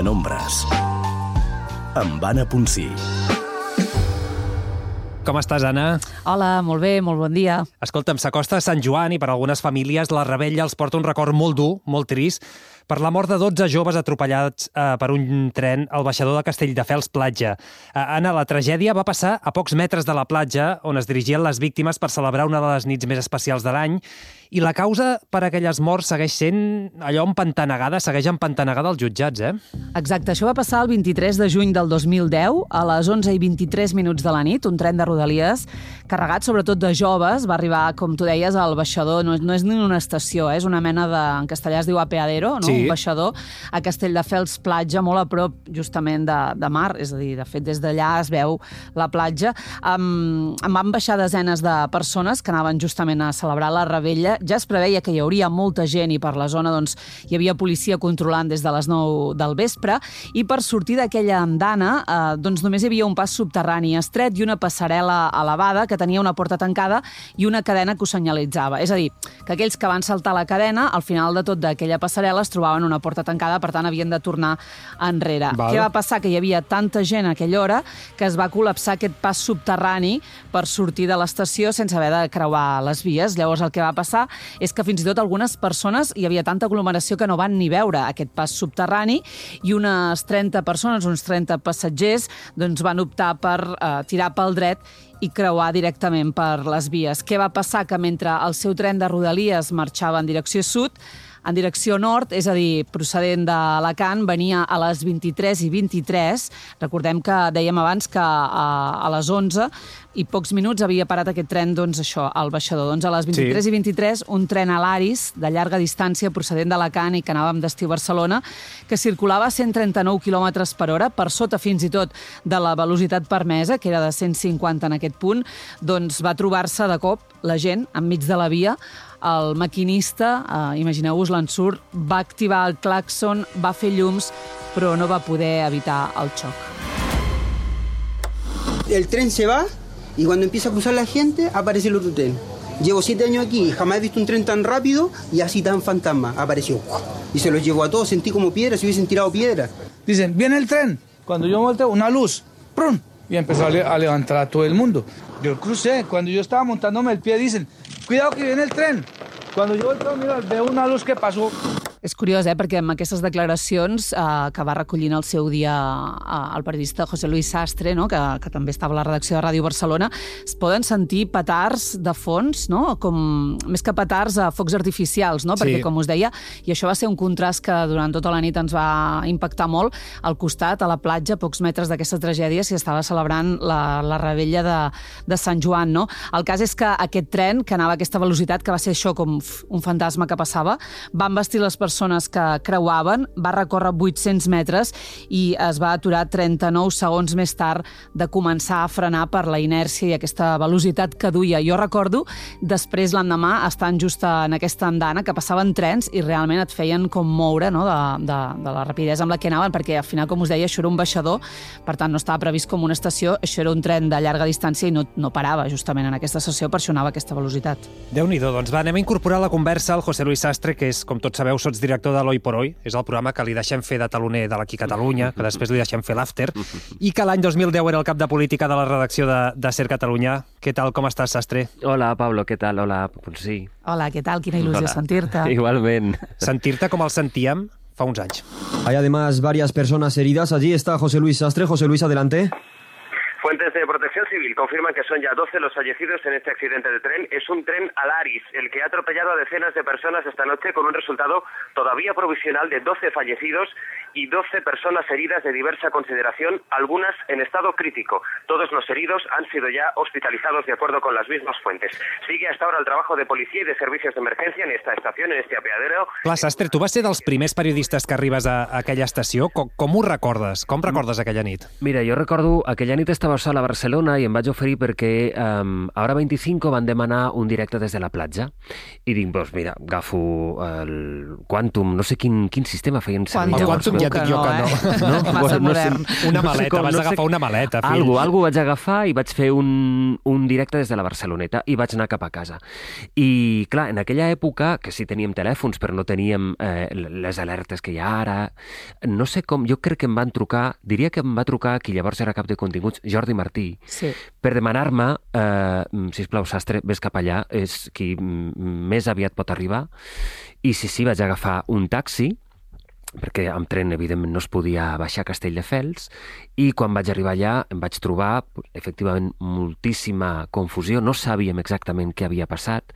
Penombres, amb Anna Ponsí. Com estàs, Anna? Hola, molt bé, molt bon dia. Escolta'm, s'acosta Sant Joan i per algunes famílies la revetlla els porta un record molt dur, molt trist, per la mort de 12 joves atropellats per un tren al baixador de Castelldefels platja. Anna, la tragèdia va passar a pocs metres de la platja on es dirigien les víctimes per celebrar una de les nits més especials de l'any i la causa per a aquelles morts segueix sent allò empantanegada, segueix empantanegada als jutjats, eh? Exacte, això va passar el 23 de juny del 2010, a les 11:23 de la nit, un tren de Rodalies carregat sobretot de joves, va arribar, com tu deies, al baixador, no és ni una estació, és una mena de, en castellà es diu apeadero, no? Sí. Un baixador, a Castelldefels platja, molt a prop justament de mar, és a dir, de fet des d'allà es veu la platja. Em van baixar desenes de persones que anaven justament a celebrar la revetlla. Ja es preveia que hi hauria molta gent i per la zona doncs, hi havia policia controlant des de les 9 del vespre i per sortir d'aquella andana doncs només hi havia un pas subterrani estret i una passarel·la elevada que tenia una porta tancada i una cadena que ho senyalitzava. És a dir, que aquells que van saltar la cadena, al final de tot d'aquella passarel·la es trobaven una porta tancada, per tant havien de tornar enrere. Val. Què va passar? Que hi havia tanta gent a aquella hora que es va col·lapsar aquest pas subterrani per sortir de l'estació sense haver de creuar les vies. Llavors el que va passar és que fins i tot algunes persones, hi havia tanta aglomeració que no van ni veure aquest pas subterrani i unes 30 persones, uns 30 passatgers, doncs van optar per tirar pel dret i creuar directament per les vies. Què va passar? Que mentre el seu tren de Rodalies marxava en direcció sud, en direcció nord, és a dir, procedent d'Alacant, venia a les 23:23. Recordem que dèiem abans que a les 11 i pocs minuts havia parat aquest tren, doncs això, al baixador. Doncs a les 23:23, un tren Alaris, de llarga distància, procedent d'Alacant i que anava amb destí a Barcelona, que circulava a 139 km per hora, per sota fins i tot de la velocitat permesa, que era de 150 en aquest punt, doncs va trobar-se de cop la gent enmig de la via. El maquinista, imagineu-vos l'ensurt, va activar el clàxon, va fer llums, però no va poder evitar el xoc. El tren se va y cuando empieza a cruzar la gente aparece el otro tren. Llevo 7 años aquí y jamás he visto un tren tan rápido y así tan fantasma. Apareció y se los llevó a todos, sentí como piedras, si hubiesen tirado piedras. Dicen, viene el tren. Cuando yo volteo, una luz, ¡prum! Y empezó a levantar a todo el mundo. Yo crucé, cuando yo estaba montándome el pie, dicen, cuidado que viene el tren. Cuando yo volteo, mira, veo una luz que pasó. És curiós, perquè amb aquestes declaracions que va recollint el seu dia el periodista José Luis Sastre, no? que també estava a la redacció de Ràdio Barcelona, es poden sentir petards de fons, no? Com, més que petards, focs artificials, no? Sí. Perquè, com us deia, i això va ser un contrast que durant tota la nit ens va impactar molt, al costat, a la platja, a pocs metres d'aquesta tragèdia, s'hi estava celebrant la revetlla de Sant Joan. No? El cas és que aquest tren, que anava a aquesta velocitat, que va ser això com un fantasma que passava, va embestir les persones que creuaven, va recórrer 800 metres i es va aturar 39 segons més tard de començar a frenar per la inèrcia i aquesta velocitat que duia. Jo recordo, després l'endemà, estant just en aquesta andana, que passaven trens i realment et feien com moure, no? de la rapidesa amb la que anaven, perquè al final, com us deia, això era un baixador, per tant no estava previst com una estació, això era un tren de llarga distància i no parava justament en aquesta estació, per això anava a aquesta velocitat. Déu-n'hi-do, doncs va, anem a incorporar a la conversa el José Luis Sastre, que és, com tots sabeu, sotsdirector de l'Hoy por Hoy, és el programa que li deixem fer de taloner de l'Aquí Catalunya, que després li deixem fer l'after, i que l'any 2010 era el cap de política de la redacció de Ser Cataluña. Què tal, com estàs, Sastre? Hola, Pablo, què tal? Hola, sí. Hola, què tal? Quina il·lusió sentir-te. Igualment. Sentir-te com el sentíem fa uns anys. Hay además varias personas heridas. Allí está José Luis Sastre. José Luis, adelante. Fuentes de Protección Civil confirman que son ya 12 los fallecidos en este accidente de tren. Es un tren Alaris, el que ha atropellado a decenas de personas esta noche con un resultado todavía provisional de 12 fallecidos y 12 personas heridas de diversa consideración, algunas en estado crítico. Todos los heridos han sido ya hospitalizados de acuerdo con las mismas fuentes. Sigue hasta ahora el trabajo de policía y de servicios de emergencia en esta estación, en este apeadero. Clar, Sastre, tu vas ser dels primers periodistes que arribes a aquella estació. Com ho recordes? Com recordes aquella nit? Mira, jo recordo, aquella nit estava sol a Barcelona i em vaig oferir perquè a Hora 25 van demanar un directe des de la platja i dic, doncs mira, agafo el Quantum, no sé quin sistema feien servir. El Quantum ja et dic jo que no. Massa modern. Una maleta, vas agafar una maleta, fill. Algo vaig agafar i vaig fer un directe des de la Barceloneta i vaig anar cap a casa. I clar, en aquella època, que sí teníem telèfons però no teníem les alertes que hi ha ara, no sé com, jo crec que em van trucar, diria que em va trucar qui llavors era cap de continguts, Jordi Martí, per demanar-me, sisplau, Sastre, vés cap allà, és qui més aviat pot arribar. I sí, vaig agafar un taxi, perquè amb tren, evidentment, no es podia baixar a Castelldefels, i quan vaig arribar allà em vaig trobar, efectivament, moltíssima confusió, no sabíem exactament què havia passat,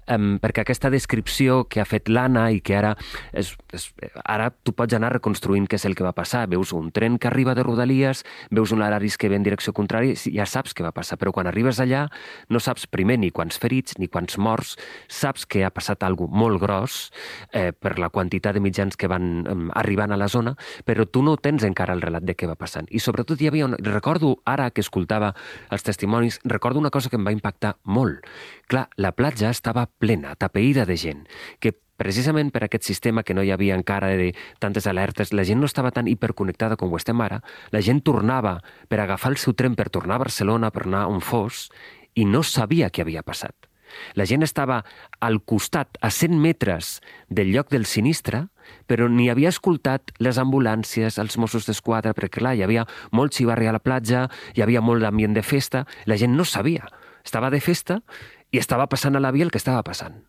perquè aquesta descripció que ha fet l'Anna i que ara tu pots anar reconstruint què és el que va passar, veus un tren que arriba de Rodalies, veus un Alaris que ve en direcció contrària, ja saps què va passar, però quan arribes allà no saps primer ni quants ferits ni quants morts, saps que ha passat alguna cosa molt gros per la quantitat de mitjans que van arribant a la zona, però tu no tens encara el relat de què va passant. I sobretot hi havia recordo, ara que escoltava els testimonis, recordo una cosa que em va impactar molt. Clar, la platja estava plena, tapeïda de gent, que precisament per aquest sistema que no hi havia encara de tantes alertes, la gent no estava tan hiperconnectada com ho estem ara, la gent tornava per agafar el seu tren per tornar a Barcelona, per anar on fos, i no sabia què havia passat. La gent estava al costat, a 100 metres del lloc del sinistre, però ni havia escoltat les ambulàncies, els Mossos d'Esquadra, perquè clar, hi havia molt xivarri a la platja, hi havia molt d'ambient de festa, la gent no sabia. Estava de festa i estava passant a la via el que estava passant.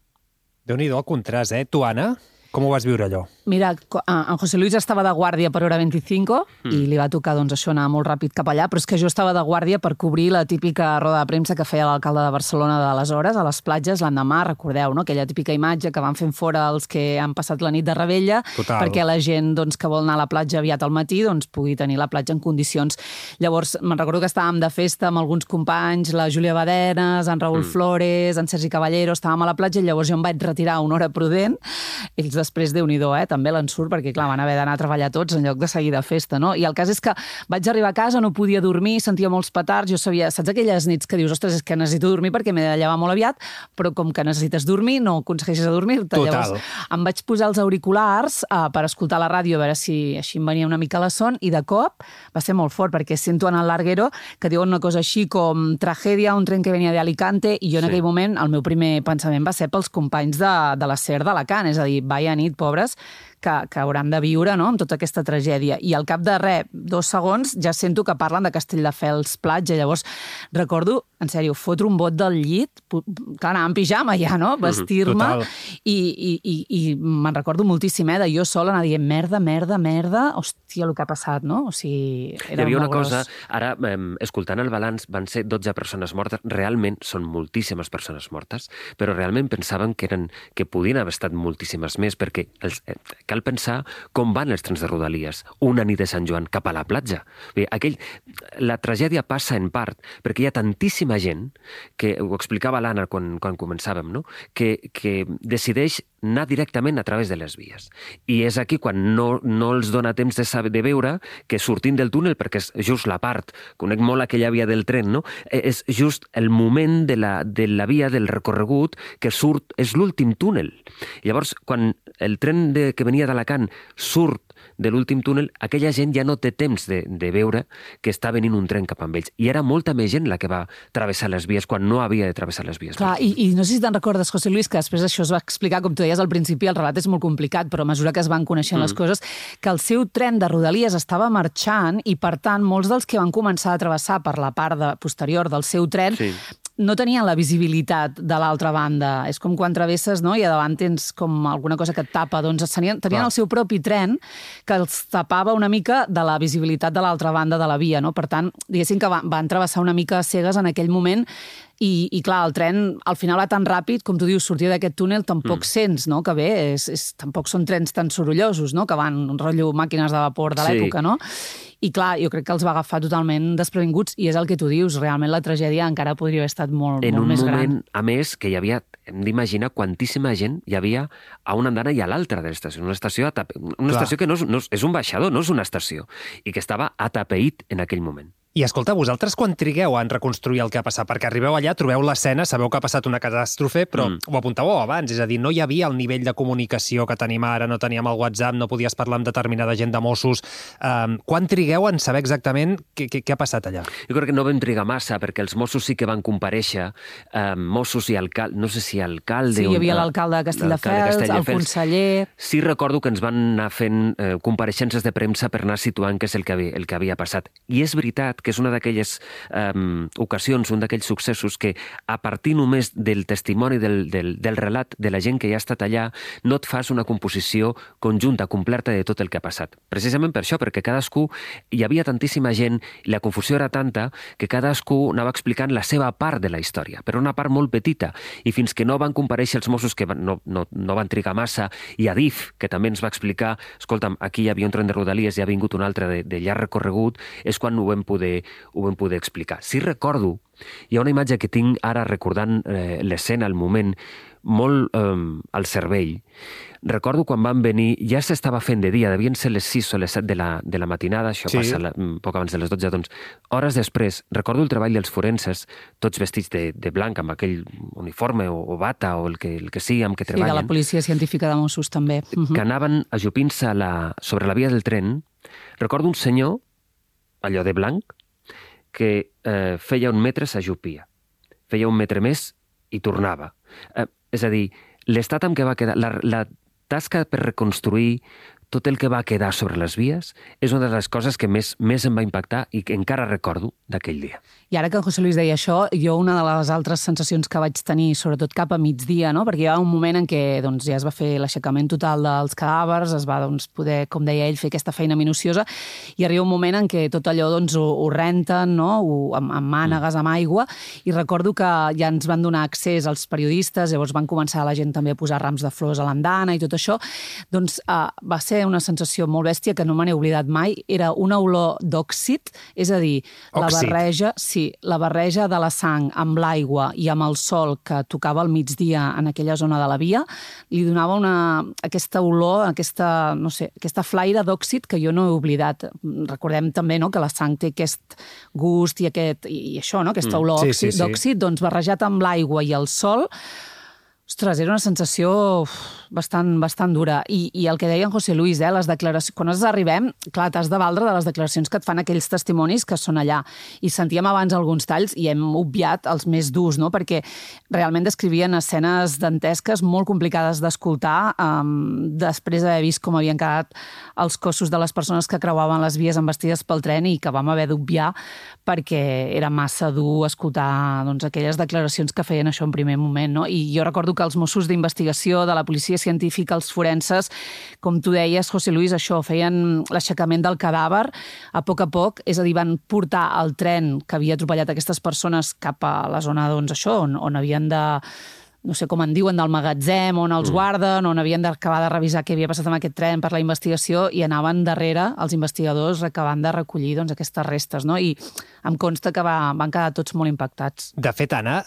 Déu-n'hi-do el contrast, eh? Tu, Anna, com ho vas viure allò? Mira, en José Luis estava de guàrdia per Hora 25 i li va tocar, doncs, això, anar molt ràpid cap allà, però és que jo estava de guàrdia per cobrir la típica roda de premsa que feia l'alcalde de Barcelona d'aleshores, a les platges, l'endemà, recordeu, no? Aquella típica imatge que van fent fora els que han passat la nit de Rebella, perquè la gent doncs, que vol anar a la platja aviat al matí doncs, pugui tenir la platja en condicions. Llavors, me'n recordo que estàvem de festa amb alguns companys, la Júlia Badenes, en Raül Flores, en Sergi Caballero, estàvem a la platja i llavors jo em vaig retirar a una hora prudent. Ells després, Déu-n'hi-do, també l'ensurt, perquè clar, van haver d'anar a treballar tots en lloc de seguir de festa, no? I el cas és que vaig arribar a casa, no podia dormir, sentia molts petards, jo sabia, saps aquelles nits que dius, ostres, és que necessito dormir perquè m'he de llevar molt aviat, però com que necessites dormir, no aconsegueixes dormir-te. Llavors em vaig posar els auriculars per escoltar la ràdio, a veure si així em venia una mica la son, i de cop va ser molt fort, perquè sento en el Larguero que diuen una cosa així com tragèdia, un tren que venia de Alicante, i jo en aquell moment el meu primer pensament va ser pels companys de la SER d'Alacant, és a dir, vaya nit, pobres, que hauran de viure, no?, amb tota aquesta tragèdia. I al cap de 2 segons ja sento que parlen de Castelldefels platja. Llavors recordo, en sèrio, fotre un bot del llit, clar, anar en pijama ja, no?, vestir-me, i me'n recordo moltíssim, de jo sola anar dient merda, hòstia, el que ha passat, no? O sigui, era hi havia una molt cosa, gros. ara, escoltant el balanç, van ser 12 persones mortes, realment són moltíssimes persones mortes, però realment pensaven que podien haver estat moltíssimes més, perquè cal pensar com van els trens de Rodalies una nit de Sant Joan cap a la platja. La tragèdia passa en part perquè hi ha tantíssima gent, que ho explicava l'Anna quan començàvem, no?, que decideix anar directament a través de les vies. I és aquí quan no els dona temps de veure que sortint del túnel, perquè és just la part, conec molt aquella via del tren, no?, és just el moment de la via, del recorregut, que surt, és l'últim túnel. Llavors, quan el tren que venia d'Alacant surt de l'últim túnel, aquella gent ja no té temps de veure que està venint un tren cap amb ells. I era molta més gent la que va travessar les vies quan no havia de travessar les vies. Clar, i no sé si te'n recordes, José Luis, que després això es va explicar, com tu deies al principi, el relat és molt complicat, però a mesura que es van coneixent les coses, que el seu tren de Rodalies estava marxant i, per tant, molts dels que van començar a travessar per la part posterior del seu tren no tenien la visibilitat de l'altra banda. És com quan travesses, no?, i a davant tens com alguna cosa que et tapa. Doncs tenien el seu propi tren que els tapava una mica de la visibilitat de l'altra banda de la via, no? Per tant, diguéssim que van travessar una mica cegues en aquell moment. I clar, el tren al final va tan ràpid, com tu dius, sortir d'aquest túnel tampoc sents, no?, que bé, tampoc són trens tan sorollosos, no?, que van un rotllo màquines de vapor de l'època, no? I clar, jo crec que els va agafar totalment desprevinguts, i és el que tu dius, realment la tragèdia encara podria haver estat molt més gran. En un moment, a més, que hi havia, hem d'imaginar quantíssima gent hi havia a una andana i a l'altra de l'estació. Una estació que no és un baixador, no és una estació, i que estava atapeït en aquell moment. I escolta, vosaltres quan trigueu en reconstruir el que ha passat? Perquè arribeu allà, trobeu l'escena, sabeu que ha passat una catàstrofe, però ho apuntàveu abans, és a dir, no hi havia el nivell de comunicació que tenim ara, no teníem el WhatsApp, no podies parlar amb determinada gent de Mossos. Quan trigueu en saber exactament què ha passat allà? Jo crec que no vam trigar massa, perquè els Mossos sí que van comparèixer, Mossos i alcalde, no sé si alcalde... Sí, hi havia l'alcalde de Castelldefels, el conseller... Sí, recordo que ens van anar fent compareixences de premsa per anar situant què és el que havia passat. I és veritat que és una d'aquelles ocasions, un d'aquells successos que a partir només del testimoni, del relat de la gent que ja ha estat allà, no et fas una composició conjunta, completa de tot el que ha passat. Precisament per això, perquè cadascú, hi havia tantíssima gent, i la confusió era tanta, que cadascú anava explicant la seva part de la història, però una part molt petita, i fins que no van comparèixer els Mossos, que no van trigar massa, i Adif, que també ens va explicar, escolta'm, aquí hi havia un tren de Rodalies i ha vingut un altre de llarg recorregut, és quan ho vam poder explicar. Sí recordo, hi ha una imatge que tinc ara recordant l'escena, el moment, molt al cervell. Recordo quan van venir, ja s'estava fent de dia, devien ser les 6 o les 7 de la matinada, això passa poc abans de les 12, doncs hores després, recordo el treball dels forenses, tots vestits de blanc, amb aquell uniforme o bata o el que sigui amb què treballen. Sí, de la policia científica de Mossos també. Que anaven ajupint-se sobre la via del tren. Recordo un senyor, allò de blanc, que feia 1 metre s'ajupia, feia 1 metre més i tornava. És a dir, l'estat amb què va quedar, la tasca per reconstruir tot el que va quedar sobre les vies és una de les coses que més em va impactar i que encara recordo d'aquell dia. I ara que en José Luis deia això, jo una de les altres sensacions que vaig tenir, sobretot cap a migdia, no? Perquè hi va un moment en què ja es va fer l'aixecament total dels cadàvers, es va poder, com deia ell, fer aquesta feina minuciosa, i arriba un moment en què tot allò ho renten, no? Amb mànegues, amb aigua, i recordo que ja ens van donar accés als periodistes, llavors van començar la gent també a posar rams de flors a l'andana i tot això, doncs va ser una sensació molt bèstia que no me n'he oblidat mai. Era una olor d'òxid, és a dir, la barreja de la sang amb l'aigua i amb el sol que tocava al migdia en aquella zona de la via, li donava aquesta olor, aquesta flaire d'òxid que jo no he oblidat. Recordem també que la sang té aquest gust i això, aquesta olor d'òxid, doncs barrejat amb l'aigua i el sol. Ostres, era una sensació bastant dura. I el que deia en José Luis, les declaracions... Quan nosaltres arribem, clar, t'has de valdre de les declaracions que et fan aquells testimonis que són allà. I sentíem abans alguns talls i hem obviat els més durs, no? Perquè realment descrivien escenes dantesques molt complicades d'escoltar després d'haver vist com havien quedat els cossos de les persones que creuaven les vies embestides pel tren i que vam haver d'obviar perquè era massa dur escoltar aquelles declaracions que feien això en primer moment, no? I jo recordo que els Mossos d'investigació, de la policia científica, els forenses, com tu deies, José Luis, això, feien l'aixecament del cadàver a poc, és a dir, van portar el tren que havia atropellat aquestes persones cap a la zona, on havien de... no sé com en diuen, del magatzem, on els guarden, on havien d'acabar de revisar què havia passat amb aquest tren per la investigació, i anaven darrere els investigadors acabant de recollir aquestes restes, no? I em consta que van quedar tots molt impactats. De fet, Anna,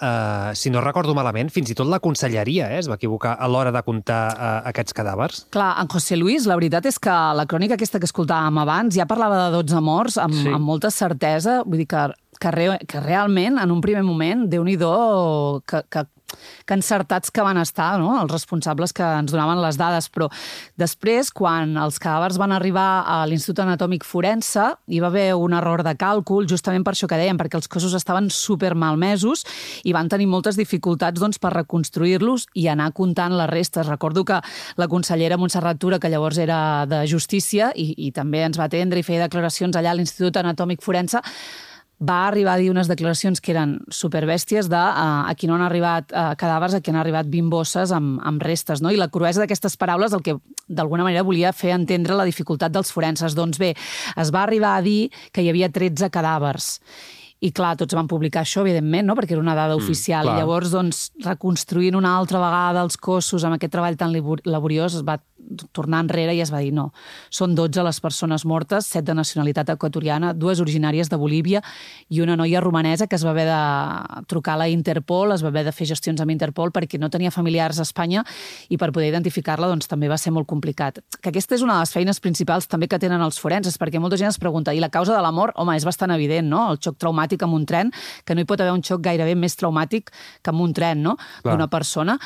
si no recordo malament, fins i tot la conselleria es va equivocar a l'hora de comptar aquests cadàvers. Clar, en José Luis, la veritat és que la crònica aquesta que escoltàvem abans ja parlava de 12 morts amb molta certesa, vull dir que realment, en un primer moment, Déu-n'hi-do que encertats que van estar, no? Els responsables que ens donaven les dades, però després, quan els cadàvers van arribar a l'Institut Anatòmic Forense, hi va haver un error de càlcul, justament per això que dèiem, perquè els cossos estaven super malmesos i van tenir moltes dificultats per reconstruir-los i anar comptant les restes. Recordo que la consellera Montserrat Tura, que llavors era de Justícia i també ens va atendre i feia declaracions allà a l'Institut Anatòmic Forense, va arribar a dir unes declaracions que eren superbèsties de aquí no han arribat cadàvers, aquí han arribat bimbosses amb restes, no? I la cruesa d'aquestes paraules el que d'alguna manera volia fer entendre la dificultat dels forenses. Doncs bé, es va arribar a dir que hi havia 13 cadàvers. I clar, tots van publicar això, evidentment, no? Perquè era una dada oficial. I llavors, reconstruint una altra vegada els cossos amb aquest treball tan laboriós, es va tornar enrere i es va dir no. Són 12 les persones mortes, 7 de nacionalitat equatoriana, 2 originàries de Bolívia i una noia romanesa que es va haver de trucar a la Interpol, es va haver de fer gestions amb Interpol perquè no tenia familiars a Espanya i per poder identificar-la doncs, també va ser molt complicat. Que aquesta és una de les feines principals també que tenen els forenses, perquè molta gent es pregunta, i la causa de la mort? Home, és bastant evident, no? El xoc traumàtic amb un tren, que no hi pot haver un xoc gairebé més traumàtic que amb un tren, no? D'una persona.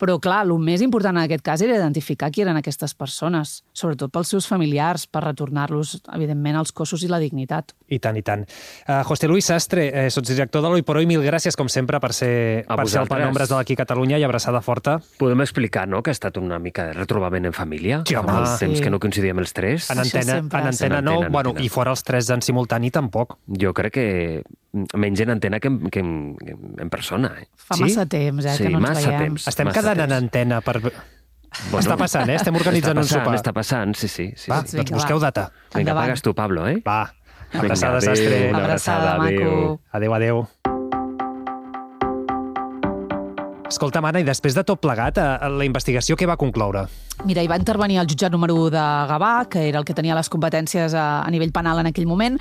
Però, clar, el més important en aquest cas era identificar qui eren aquestes persones, sobretot pels seus familiars, per retornar-los, evidentment, als cossos i la dignitat. I tant, i tant. José Luis Sastre, sotsdirector de l'Hoy por Hoy, mil gràcies, com sempre, per ser el Penombres de l'Aquí Catalunya i abraçada forta. Podem explicar, no?, que ha estat una mica de retrobament en família? Sí, home. Fa temps que no coincidíem els tres. En antena no, bueno, i fora els tres en simultani tampoc. Jo crec que menys en antena que en persona. Fa massa temps, que no ens veiem. Estem quedant en antena per... Bueno, està passant, està organitzant un sopar. Està passant, sí. Va, doncs busqueu data. Vinga, pagues tu, Pablo, eh? Va, abraçada, Sastre. Una abraçada, maco. Adéu. Escolta, Anna, i després de tot plegat, la investigació què va concloure? Mira, hi va intervenir el jutjat número 1 de Gavà, que era el que tenia les competències a nivell penal en aquell moment,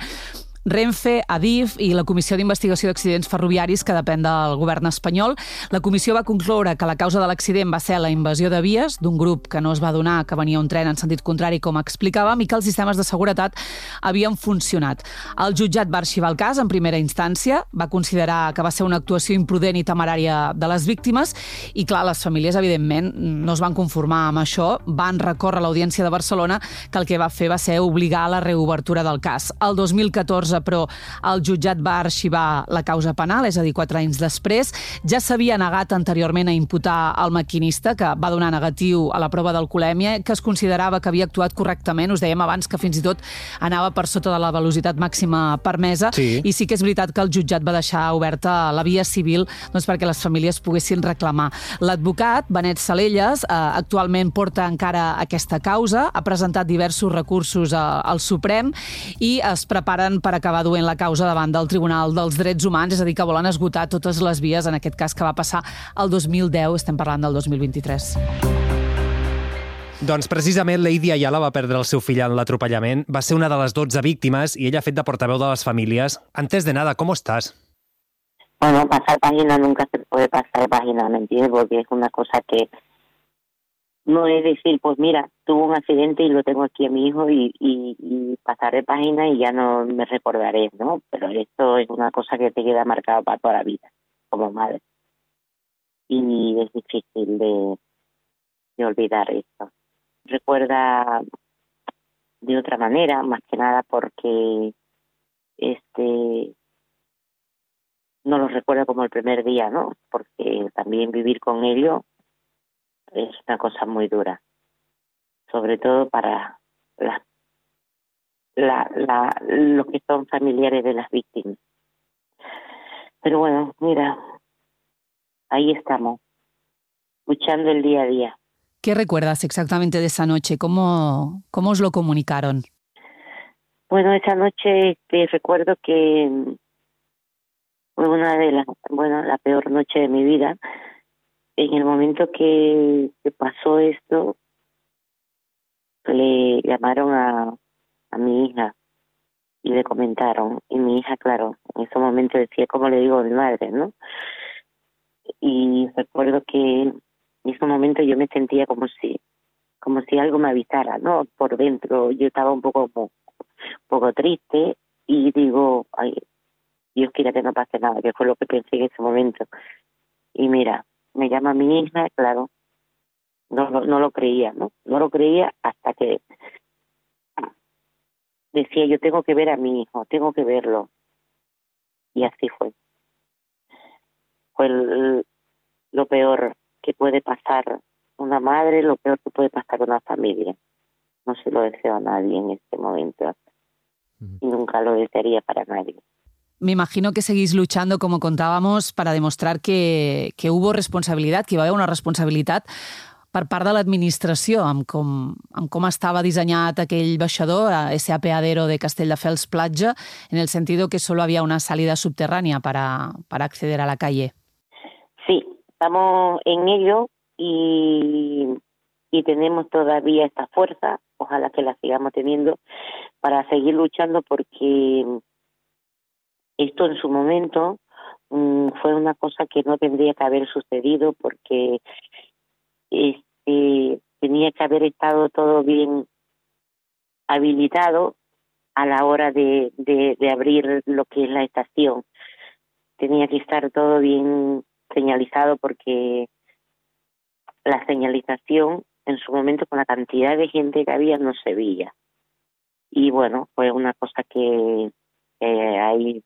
Renfe, Adif i la Comissió d'Investigació d'Accidents Ferroviaris, que depèn del govern espanyol. La comissió va concloure que la causa de l'accident va ser la invasió de vies d'un grup que no es va adonar que venia un tren en sentit contrari, com explicàvem, i que els sistemes de seguretat havien funcionat. El jutjat va arxivar el cas en primera instància, va considerar que va ser una actuació imprudent i temerària de les víctimes i, clar, les famílies, evidentment, no es van conformar amb això, van recórrer a l'Audiència de Barcelona, que el que va fer va ser obligar a la reobertura del cas. El 2014, però el jutjat va arxivar la causa penal, és a dir, 4 anys després. Ja s'havia negat anteriorment a imputar el maquinista, que va donar negatiu a la prova d'alcoholèmia, que es considerava que havia actuat correctament. Us dèiem abans que fins i tot anava per sota de la velocitat màxima permesa. Sí. I sí que és veritat que el jutjat va deixar oberta la via civil doncs, perquè les famílies poguessin reclamar. L'advocat, Benet Salelles, actualment porta encara aquesta causa, ha presentat diversos recursos al Suprem i es preparen per acabar duent la causa davant del Tribunal dels Drets Humans, és a dir, que volen esgotar totes les vies, en aquest cas que va passar el 2010, estem parlant del 2023. Doncs precisament Lady Ayala va perdre el seu fill en l'atropellament, va ser una de les 12 víctimes i ella ha fet de portaveu de les famílies. Antes de nada, ¿cómo estás? Bueno, pasar página nunca se puede pasar página, ¿me entiendes? Porque es una cosa que no es decir, pues mira, tuvo un accidente y lo tengo aquí a mi hijo y pasaré página y ya no me recordaré, ¿no? Pero esto es una cosa que te queda marcada para toda la vida, como madre. Y es difícil de olvidar esto. Recuerda de otra manera, más que nada porque no lo recuerda como el primer día, ¿no? Porque también vivir con ello es una cosa muy dura, sobre todo para los que son familiares de las víctimas. Pero bueno, mira, ahí estamos, luchando el día a día. ¿Qué recuerdas exactamente de esa noche? ¿Cómo os lo comunicaron? Bueno, esa noche recuerdo que fue una de la peor noche de mi vida. En el momento que pasó esto, le llamaron a mi hija y le comentaron. Y mi hija, claro, en ese momento decía, ¿cómo le digo a mi madre, no? Y recuerdo que en ese momento yo me sentía como si algo me avisara, ¿no? Por dentro yo estaba un poco triste y digo, ay, Dios quiera que no pase nada, que fue lo que pensé en ese momento. Y mira, me llama mi hija, claro, no lo creía, ¿no? No lo creía hasta que decía, yo tengo que ver a mi hijo, tengo que verlo. Y así fue. Fue lo peor que puede pasar una madre, lo peor que puede pasar una familia. No se lo deseo a nadie en este momento. Y nunca lo desearía para nadie. Me imagino que seguís luchando, como contábamos, para demostrar que hubo responsabilitat, que hi va haver una responsabilitat per part de l'administració amb com estava dissenyat aquell baixador, ese apeadero de Castelldefels Platja, en el sentido que solo había una salida subterránea para acceder a la calle. Sí, estamos en ello y y tenemos todavía esta fuerza, ojalá que la sigamos teniendo para seguir luchando, porque esto en su momento fue una cosa que no tendría que haber sucedido, porque tenía que haber estado todo bien habilitado a la hora de abrir lo que es la estación. Tenía que estar todo bien señalizado, porque la señalización en su momento, con la cantidad de gente que había, no se veía. Y bueno, fue una cosa que ahí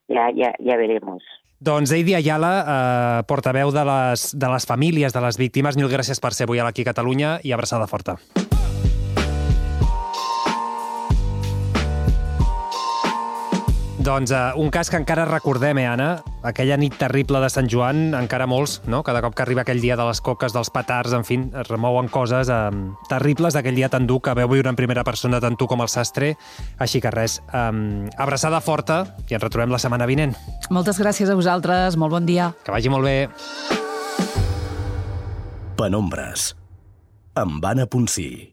ja veremos. Doncs Heidi Ayala, portaveu de les famílies de les víctimes, mil gràcies per ser avui aquí a Catalunya i abraçada forta. Doncs un cas que encara recordem, Anna? Aquella nit terrible de Sant Joan, encara molts, no? Cada cop que arriba aquell dia de les coques, dels petards, en fi, es remouen coses terribles d'aquell dia tan dur que veu viure en primera persona tant tu com el sastre. Així que res, abraçada forta i ens retrobem la setmana vinent. Moltes gràcies a vosaltres, molt bon dia. Que vagi molt bé. Penombres, amb Anna Ponsí.